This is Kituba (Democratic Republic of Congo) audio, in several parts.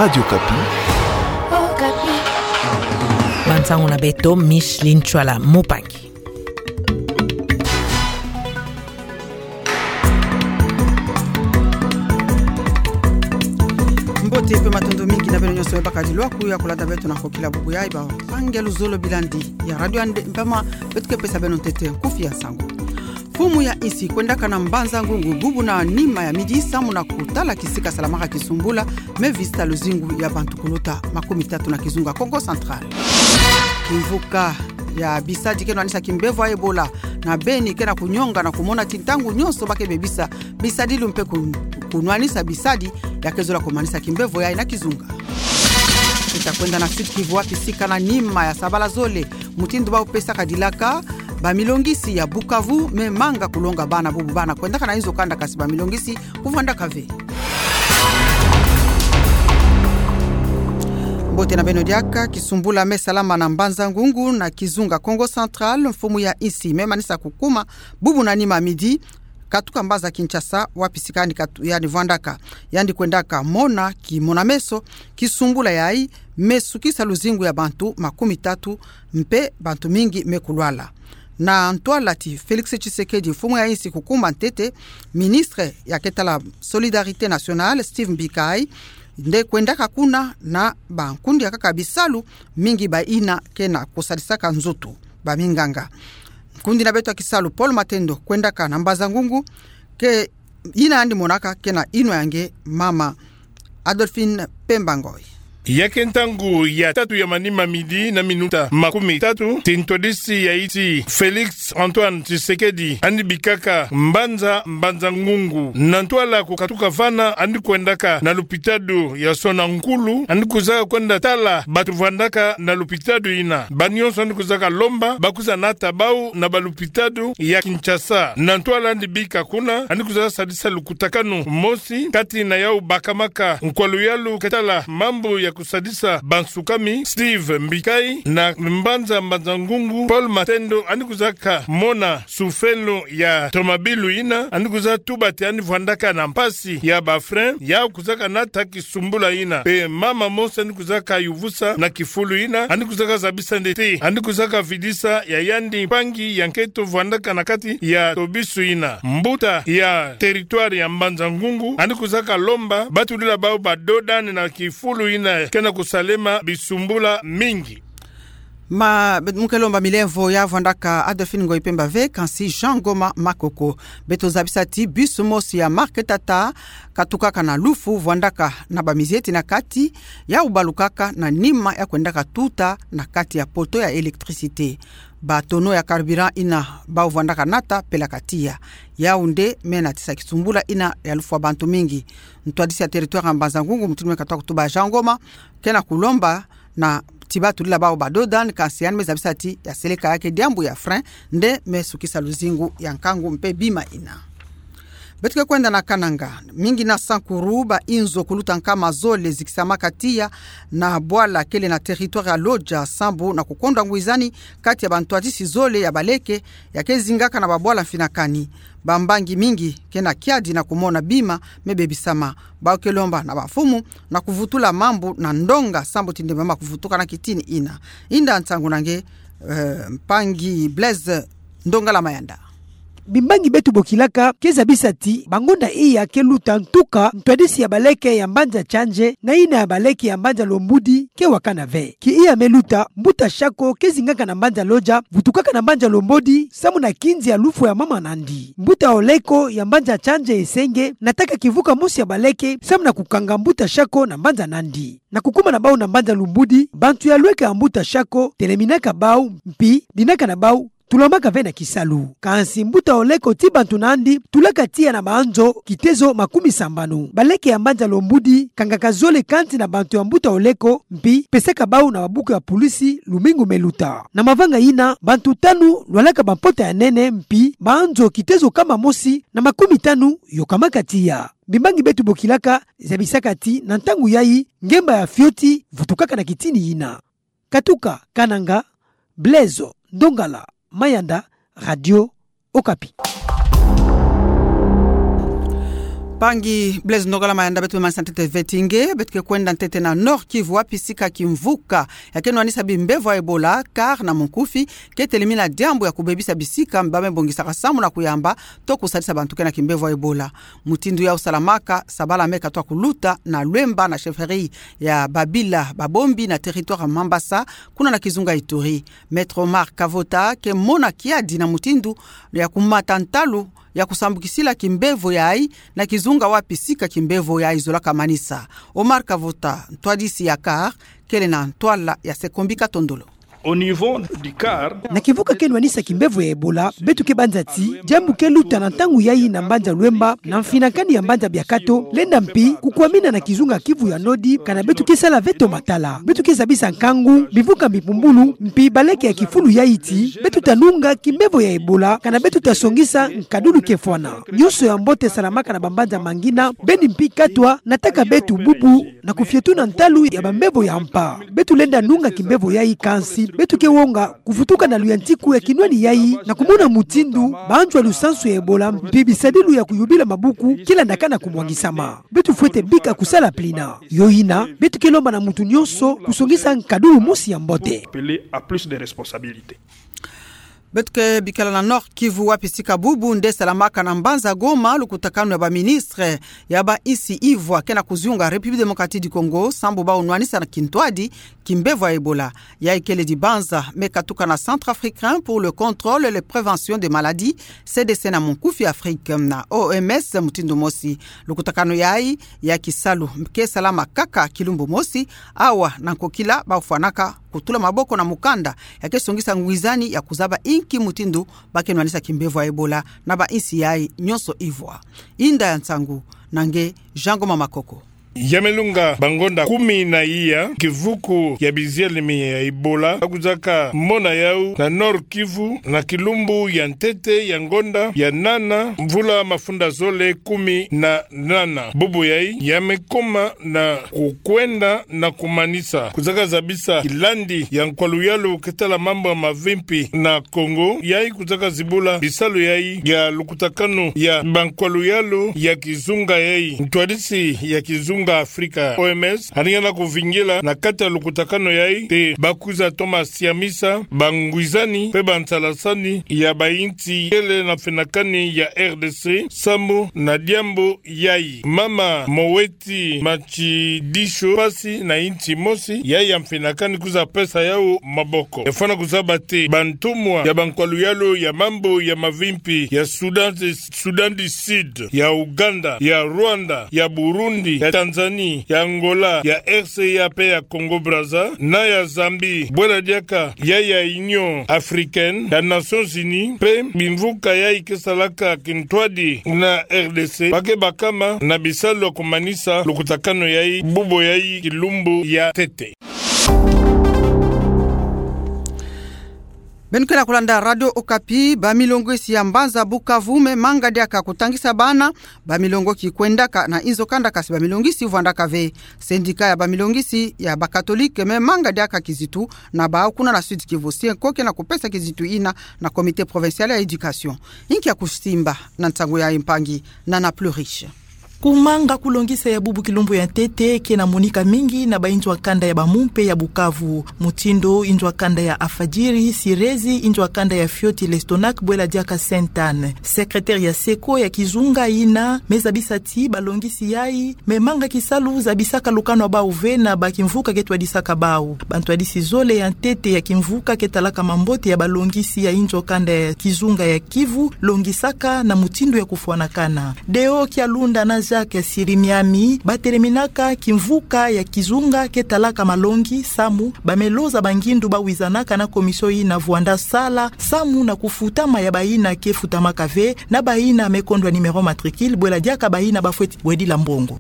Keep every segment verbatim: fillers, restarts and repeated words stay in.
Radio Okapi. Bansango na beto, Micheline Tshuala Mupangi. Mbote mpe matondo mingi na beno nyonso me bakadi lwaku ya kolanda beto na kokila bubu ya bampangi ya luzolo bilandi ya radio Inde, mpama beto ke pesa beno ntete nkufi ya nsangu. Mfumu ya insi kwendaka na Mbanza-Ngungu bubu na nima ya midi samu na kutala kisika salamaka kisumbula me visita luzingu ya bantu kuluta makumi tatu na kizunga Kongo Central. Kimvuka ya bisadi ke nwanisa kimbevo ya Ebola na Beni ke na kunyonga na kumona ti ntangu nyonso ba ke bebisa bisadilu mpe kun-, kunwanisa bisadi ya ke zola kumanisa kimbevo yayi na kizunga. Beta kwenda na Sud-Kivu wapi sika na nima ya sabala zole mutindu ba pesaka dilaka, bamilongisi ya Bukavu me manga kulonga bana bubu bana kwendaka na inzo kanda kasi bamilongisi kuvwandaka ve. Mbote na beno diaka. Kisumbula me salama na Mbanza-Ngungu na kizunga Kongo Central, mfumu ya insi me manisa kukuma bubu na nima midi, katuka mbaza Kinshasa, wapi sika yandi katu-, yandi vwandaka. Yandi kwendaka mona kimona-meso kisumbula yayi me sukisa luzingu ya bantu makumi tatu mpe bantu mingi me kulwala. Na ntwala ti Félix Tshisekedi, mfumu ya insi kukuma ntete, ministre ya ke tala Solidarité Nationale, Steve Mbikayi, nde kwendaka kuna na bankundi ya kaka bisalu mingi bayina ke na kusadisaka nzoto, baminganga. Nkundi na beto ya kisalu Paul Matendo kwendaka na Mbanza-Ngungu, ke yina yandi monaka ke na inwa ya nge mama Adolphine Pemba Ngoy. Ya ke ntangu ya tatu ya manima midi na minuta makumi tatu, ti ntwadisi ya insi Félix Antoine Tshisekedi yandi bikaka mbanza, Mbanza-Ngungu. Na ntwala kukatuka vana, yandi kwendaka na lupitalu ya Sona-Nkulu, yandi kuzaka kwenda tala bantu vwandaka na lupitalu yina. Banyonso yandi kuzaka lomba ba kwiza nata bau na balupitalu ya Kinshasa. Na ntwala yandi bika kuna, yandi kuzaka sadisa lukutakanu mosi kati na yau bakamaka nkwa luyalu ke tala mambu ya kusadisa bansukami, Steve Mbikayi, na mbanza Mbanza-Ngungu, Paul Matendo, yandi kuzaka mona sufelo ya tomabilu yina, yandi kuzaka tuba ti yandi vwandaka na mpasi ya ba frein, yau kuzaka nata kisumbula yina. Mpe mama mosi yandi kuzaka yuvusa na kifulu yina, yandi kuzaka zabisa nde ti yandi kuzaka vidisa ya yandi mpangi ya nketo vwandaka na kati ya tobisu yina. Mbuta ya territoire ya Mbanza-Ngungu yandi kuzaka lomba ba tulila bau ba dodane na kifulu yina ke na kusalema bisumbula mingi. Ma, mu ke lomba milemvo ya vwandaka Adolphine Ngoyi Pemba ve, kansi Jean Ngoma Makoko. Beto zabisa ti bus mosi ya marque Tata katukaka na Lufu vwandaka na bamizieti na kati, yau balukaka na nima ya kwendaka tuta na kati ya poteau ya électricité. Ba tonneau ya carburant yina bau vwandaka nata pelaka tiya. Yau nde me natisa kisumbula yina ya lufwa bantu mingi. Ntwadisi ya territoire ya Mbanza-Ngungu, mutindu me katuka kutuba Jean Ngoma, ke na kulomba na ti ba tulila bau ba dodane, kansi yandi me zabisa ti ya seleka ya ke diambu ya frein nde me sukisa luzingu ya nkangu mpe bima yina. Beto ke kwenda na Kananga. Mingi na Sankuru, ba inzo kuluta nkama zole zikisamaka tiya na bwala kele na territoire ya Lodja sambu na kukondwa ngwizani kati ya bantwadisi zole ya baleke ya ke zingaka na babwala mfinakani. Bambangi mingi ke na kiadi na kumona bima me bebisama. Bau ke lomba na bamfumu na kuvutula mambu na ndonga sambu ti nde mama kuvutuka na kitini yina. Inda nsangu na nge, eh, mpangi Blaise Ndongala Mayanda. Bimbangi beto bokilaka ke zabisa ti bangonda iya ke luta ntuka ntwadisi ya baleke ya mbanza Tshanje na yina ya baleke ya mbanza Lombodi ke wakana ve. Ki iya me luta, mbuta Shako ke zingaka na mbanza Lodja vutukaka na mbanza Lombodi samu na kinzi ya lufu ya mama nandi. Mbuta Oleko ya mbanza Tshanje Esenge nataka kivuka mosi ya baleke samu na kukanga mbuta Shako na mbanza nandi. Na kukuma na bau na mbanza Lombodi, bantu ya lweka ya mbuta Shako teleminaka bau, mpi dinaka na bau tulamaka ve na kisalu. Kansi mbuta Oleko ti bantu nandi tulaka tiya na banzo kitezo makumi sambanu. Baleke ya mbanza Lombodi kangaka zole kansi na bantu ya mbuta Oleko, mpi pesaka bau na babuku ya pulisi lumingu me luta. Na mavanga yina, bantu tanu lwalaka bampota ya nene, mpi banzo kitezo kama mosi na makumi tanu yokamaka tiya. Bimbangi beto bokilaka zabisaka ti na ntangu yayi ngemba ya fioti vutukaka na kitini yina. Katuka Kananga, Blaise Ndongala Mayanda, Radio Okapi. Mpangi Blaise Nogala Mayanda, beto be manisha ntete veti nge, beto ke kwenda ntete na Nord-Kivu, wapi sika kimvuka ya ke nwanisa bimbevo ya Ebola, CAR na munkufi, ke telimina diambu ya kubebisa bisika mba me bongisaka samu na kuyamba to kusalisa bantu ke na kimbevo ya Ebola. Mutindu yau salamaka, sabala me katoa kuluta na Luemba na chefferie ya Babila Babombi na territoire Mambasa, kuna na kizunga Ituri. Maître Omar Kavota ke mona kiadi na mutindu ya kumata ntalu ya kusambukisila kimbevo yayi na kizunga wapi sika kimbevo yayi zolaka manisa. Omar Kavota, ntwadisi ya CAR, kele na ntwala ya Sekombi Katondolo. Au niveau du CAR, na kimvuka ke nwanisa kimbevo ya Ebola, beto ke banza ti diambu ke luta na ntangu yayi na mbanza Luemba, na mfinakani ya mbanza Biakato, lenda mpi kukwamina na kizunga Kivu ya Nord, kana beto ke sala veto matala. Beto ke zabisa nkangu, bimvuka bipumbulu, mpi baleke ya kifulu yayi ti beto ta nunga kimbevo ya Ebola, kana beto ta songisa nkadulu ke fwana. Nyonso ya mbote salamaka na bambanza mangina, beni mpi katwa nataka beto bubu na kufiotuna ntalu ya bambevo ya mpa. Beto lenda nunga kimbevo yayi, kansi beto ke wonga kuvutuka na luyantiku ya kinwani yayi na kumona mutindu banzwa lusansu ya Ebola mpi bisadilu ya kuyubila mabuku ke landaka na kumwangisama. Beto fwete bika kusala plina. Yo yina, beto ke lomba na muntu nyonso kusongisa nkadulu mosi ya mbote. Appeler à plus de responsabilités. Beto ke bikala na Nord-Kivu, wapi sika bubu nde salamaka na mbanza Goma lukutakanu ya baministre ya bainsi ivwa ke na kuzunga République Démocratique du Congo, sambu bau nwanisa na kintwadi kimbevo ya Ebola. Yayi kele dibanza me katuka na Centre Africain pour le Contrôle et la Prévention des Maladies, C D C na munkufi Afrique, na O M S mutindu mosi. Lukutakanu yayi ya kisalu ke salama kaka kilumbu mosi, awa na nkokila bau fwanaka kutula maboko na mukanda ya ke songisa ngwizani ya kuzaba inki mutindu ba ke nwanisa kimbevo ya Ebola na bainsi yayi nyonso ivwa. Inda ya nsangu na nge Jean Ngoma Makoko. Ya me lunga bangonda kumi na iya kivuku ya bizialimi ya Ebola ba kuzaka mona yau na Nord-Kivu, na kilumbu ya ntete ya ngonda ya nana, mvula mafunda zole kumi na nana. Bubu yayi ya me koma na kukwenda na kumanisa. Kuzaka zabisa kilandi ya nkwaluyalu ke tala mambu ya mavimpi na Congo, yayi kuzaka zibula bisalu yayi ya lukutakanu ya bankwaluyalu ya kizunga yayi. Ntwadisi ya kizunga Afrika, O M S, alingana kuvingila na kati ya lukutakanu yayi, mpe ba kwiza toma siamisa bangwizani mpe bansalasani ya bainsi kele na mfinakani ya R D C, sambu na diambu yayi. Mama Moweti Matsidisho, mpasi na insi mosi, yayi ya mfinakani kwiza pesa yau maboko. Ya fwana kuzaba ti bantumwa ya bankwaluyalu ya mambu ya mavimpi ya Sudan, Sudan du Sud, ya Ouganda, ya Rwanda, ya Burundi, ya Tanzanie, ya Angola, ya R C A mpe ya Congo Brazza, na ya Zambie, bwela diaka yayi ya Union Africaine, ya Nations Unies, mpe bimvuka yayi ke salaka kintwadi na R D C, ba ke bakama na bisalu ya kumanisa lukutakanu yayi, bubu yayi kilumbu ya ntete. Beno ke na kulanda Radio Okapi. Bamilongisi ya mbanza Bukavu me manga diaka kutangisa bana bamilongo ki kwendaka na inzo kanda, kasi bamilongisi vwandaka ve. Syndicat ya bamilongisi ya bakatolike me manga diaka kizitu na bau kuna na Sud-Kivu. Syeko ke na kupesa kizitu yina na Comité Provincial ya Éducation. Inki ya kusimba na nsangu yayi, mpangi Nana Pluriche? Kumanga kulongisa ya bubu kilumbu ya ntete ke na monika mingi na bainzo ya kanda ya Bamumpe ya Bukavu. Mutindu inzo ya kanda ya Afadjiri, Sirezi, inzo ya kanda ya Fioti, Lestonac, bwela diaka Sainte-Anne. Secrétaire ya Syeko ya kizunga yina me zabisa ti balongisi yayi me manga kisalu zabisaka lukanu ya bau ve na bakimvuka ke twadisaka bau. Bantwadisi zole ya ntete ya kimvuka ke talaka mambote ya balongisi ya inzo ya kanda ya kizunga ya Kivu longisaka na mutindu ya kufwanakana. Deo Kialunda na Jacques Sirimiami bateleminaka kimvuka ya kizunga ke talaka malongi samu ba me loza bangindu ba wizanaka na commission yina vwanda sala samu na kufutama ya bayina ke futamaka ve na bayina me kondwa numéro matricule, bwela diaka bayina ba fweti bwedila mbongo.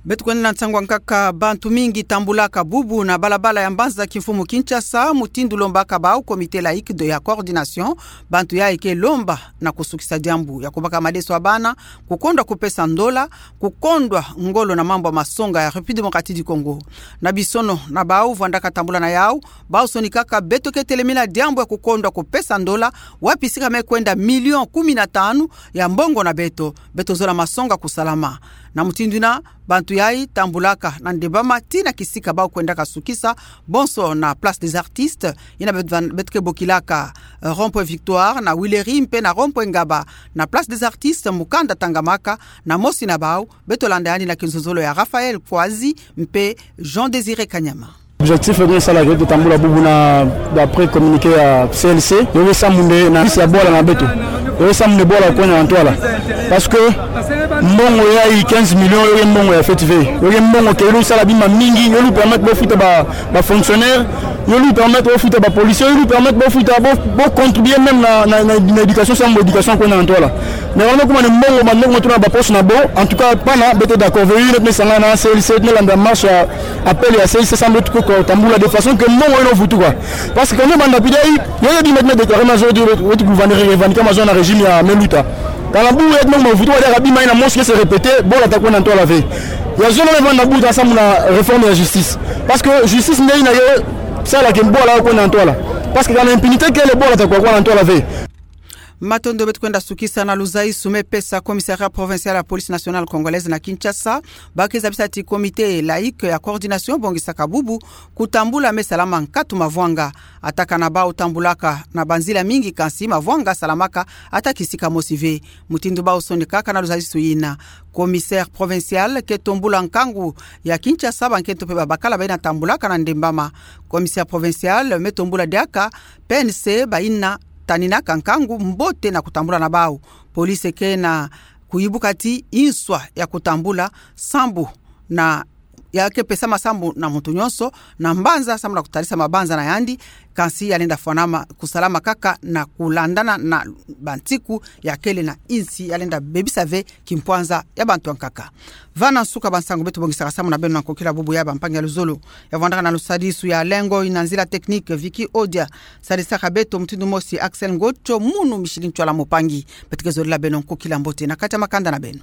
Beto kwenda na nsangu ya nkaka. Bantu mingi tambulaka bubu na balabala ya mbanza kimfumu Kinshasa, mutindu lombaka bau Comité laïque de ya coordination. Bantu yai ke lomba na kusukisa diambu ya kubaka madeso ya bana, kukondwa kupesa ndola, kukondwa ngolo na mambu ya masonga ya République Démocratique du Congo. Na bisono na bau vwandaka tambula na yau, bau sonikaka beto ke telemena diambu ya kukondwa kupesa ndola, wapi sika me kwenda million kumi na tanu ya mbongo na beto, beto zola masonga kusalama. Na mutindu ina, bantu yai tambulaka na ndembama tii na kisika bau kwendaka sukisa, bonso na Place des Artistes, ina beto van-, beto ke bokilaka, eh, Rond-point Victoire, na Huileries mpe na Rond-point Ngaba. Na Place des Artistes, mukanda tangamaka, na mosi na bau, beto landa yandi na kinzonzolo ya Raphaël Kouazi mpe Jean Désiré Kanyama. Objectif ke beto salaka, beto tambula bubu na, d'après communiqué ya C L C, yo ke sa munde na isi ya bwala na beto. Yo ke sa munde bwala kwenda na ntwala. Parce que mbongo yai quinze millions, yo ke mbongo ya fête ve. Yo ke mbongo ke yo lu sala bima mingi, yo lu permettre bo futa ba, ba fonctionnaires, yo lu permettre bo futa ba policiers, yo lu permettre bo futa bo, bo contribuer même na, na, na, na éducation, samu éducation kwenda na ntwala. Mais wana kuma ni mbongo, mbongo tuna ba poche na bo, en tout cas, bana, beto d'accord, ve, yo ke me sangana na C L C, yo ke landa marche ya, appel ya C L C, samu beto kwe kutambula de façon que mbongo yeno vutu kwa. Parce que quand même, banda pida yi, yo ke bima me déclarer mazo de, wetu gouverneur revendiquer mazo na régime ya Meluta. Kana bu yet mbongo vutu kwa, diaka bima yina mosi ke se répéter, bwala ta kwenda na ntwala ve. Ya zolo me vanda buta samu na réforme ya justice. Parce que justice nde yina ke sala que bwala kwenda na ntwala. Parce que kana impunité kele, bwala ta kwa kwenda na ntwala ve. Matondo. Beto kwenda sukisa na luzaisu me pesa Commissariat Provincial ya Police Nationale Congolaise na Kinshasa. Ba ke zabisa ti Comité laïque ya coordination bongisaka bubu kutambula me salama nkatu mavwanga. Ata kana bau tambulaka na banzila mingi, kansi mavwanga salamaka ata kisika mosi ve. Mutindu bau sonikaka na luzaisu yina, commissaire provincial ke tombula nkangu ya Kinshasa, bankento mpe babakala bayina tambulaka na ndembama. Commissaire provincial me tombula diaka P N C bayina taninaka nkangu mbote na kutambula na bau. Police ke na kuyibuka ti inswa ya kutambula sambu na, ya ke pesa masambu na muntu nyonso na mbanza, samu na kutalisa mabanza na yandi, kansi ya lenda fwanama kusalama kaka na kulandana na bantiku ya kele na insi, ya lenda bebisa ve kimpwanza ya bantu ya nkaka. Va na nsuka bansangu beto bongisaka samu na beno na nkokila bubu ya bampangi ya luzolo. Ya vwandaka na lusadisu ya lengo, ina nzila technique Vicky Odia. Sadisaka beto mutindu mosi Axel Ngocho, munu Micheline Ntsoila Mopangi. Beto ke zolila beno nkokila mbote na kati ya makanda na beno.